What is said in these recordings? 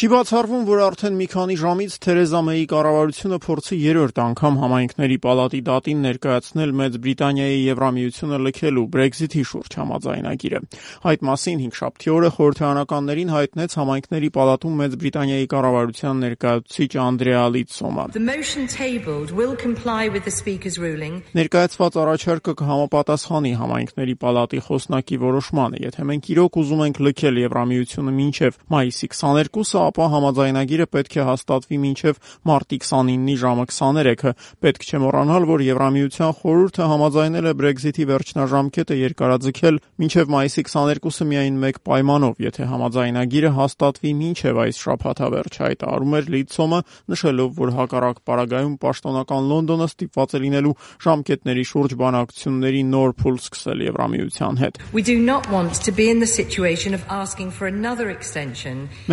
Չի բացառվում, որ արդեն մի քանի ժամից Թերեզա Մեյի կառավարությունը փորձի երրորդ անգամ համայնքների պալատի դատին ներկայացնել Մեծ Բրիտանիայի Եվրամիությունը լքելու Brexit-ի շուրջ համաձայնագիրը։ Այդ մասին հինգշաբթի օրը խորհրդարանականներին հայտնեց համայնքների պալատում Մեծ Բրիտանիայի կառավարության ներկայացուցիչ Անդրեա Լիցսոմը։ Ներկայացված առաջարկը կհամապատասխանի համայնքների պալատի խոսնակի որոշմանը, եթե մենք իրոք ուզում ենք լքել Եվրամիությունը մինչև մայիսի 22-ը, ապա համաձայնագիրը պետք է հաստատվի մինչև մարտի 29-ի ժամը 23-ը։ Պետք չէ մոռանալ, որ Եվրամիության խորհուրդը համաձայնել է Brexit-ի վերջնաժամկետը երկարաձգել մինչև մայիսի 22-ը միայն մեկ պայմանով, եթե համաձայնագիրը հաստատվի մինչև այս շաբաթավերջ, հայտարարում էր Լիցսոմը, նշելով, որ հակառակ պարագայում պաշտոնական Լոնդոնը ստիպված է լինելու ժամկետների շուրջ բանակցությունների նոր փուլ սկսել Եվրամիության հետ։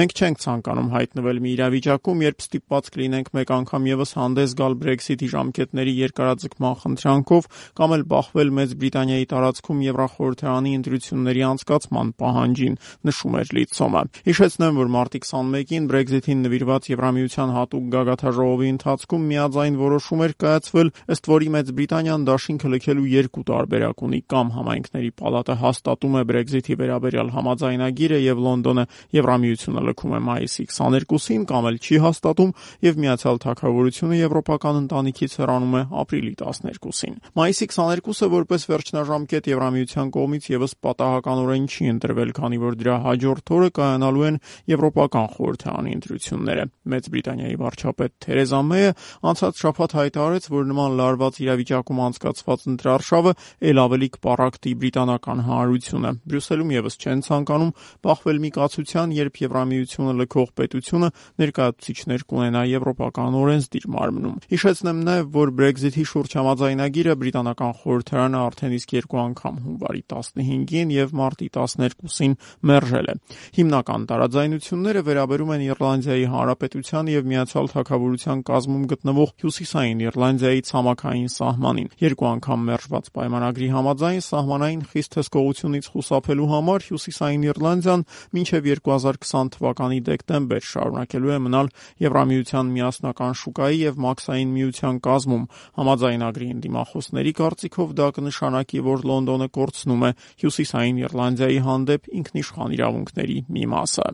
Մենք չենք ցանկանում հայտնվել մի իրավիճակում, երբ ստիպված կլինենք մեկ անգամ ևս հանդես գալ Brexit-ի ժամկետների երկարաձգման խնդրանքով կամ էլ բախվել Մեծ Բրիտանիայի տարածքում Եվրախորհրդարանի ընտրությունների անցկացման պահանջին, նշում էր Լիցսոմը։ Հիշեցնեմ, որ մարտի 21-ին Brexit-ին նվիրված Եվրամիության հատուկ գագաթաժողովի ընթացքում միաձայն որոշում էր կայացվել, ըստ որի Մեծ Բրիտանիան դաշինքը լքելու երկու տարբերակ ունի՝ կամ համայնքների պալատը հաստատում է Brexit-ի վերաբերյալ համաձայնագիրը եւ Լոնդոնը Եվրամիությունը լքում է մայիսի 22-ին, կամ էլ չի հաստատում եւ Միացյալ Թագավորությունը եվրոպական ընտանիքից հեռանում է ապրիլի 12-ին։ Մայիսի 22-ը որպես վերջնաժամկետ Եվրամիության կողմից եւս պատահականորեն չի ընտրվել, քանի որ դրա հաջորդ օրը կայանալու են եվրոպական խորհրդարանի ընտրությունները։ Մեծ Բրիտանիայի վարչապետ Թերեզա Մեյը անցած շաբաթ հայտարարեց, որ նման լարված իրավիճակում անցկացված ընտրարշավը ել ավելի կպառակտի բրիտանական հանրությունը։ Բրյուսելում եւս չեն ցանկանում բախվել մի կացության, երբ Եվրամիությունը լքող պետությունը ներկայացուցիչներ կունենա եվրոպական օրենսդիր մարմնում։ Հիշեցնեմ նաև, որ Brexit-ի շուրջ համաձայնագիրը բրիտանական խորհրդարանը արդեն իսկ երկու անգամ հունվարի 15-ին եւ մարտի 12-ին մերժել է։ Հիմնական տարաձայնությունները վերաբերում են Իռլանդիայի Հանրապետության եւ Միացյալ Թագավորության կազմում գտնվող Հյուսիսային Իռլանդիայի ցամաքային սահմանին։ Երկու անգամ մերժված պայմանագրի համաձայն սահմանային խիստ հսկողությունից խուսափելու համար Հյուսիսային Իռլանդիան մինչև 2020 թվականի դեկտեմբեր շարունակելու է մնալ Եվրամիության միասնական շուկայի եւ մաքսային միության կազմում։ Համաձայնագրի ընդդիմախոսների կարծիքով դա կնշանակի, որ Լոնդոնը կորցնում է Հյուսիսային Իռլանդիայի հանդեպ ինքնիշխան իրավունքների մի մասը։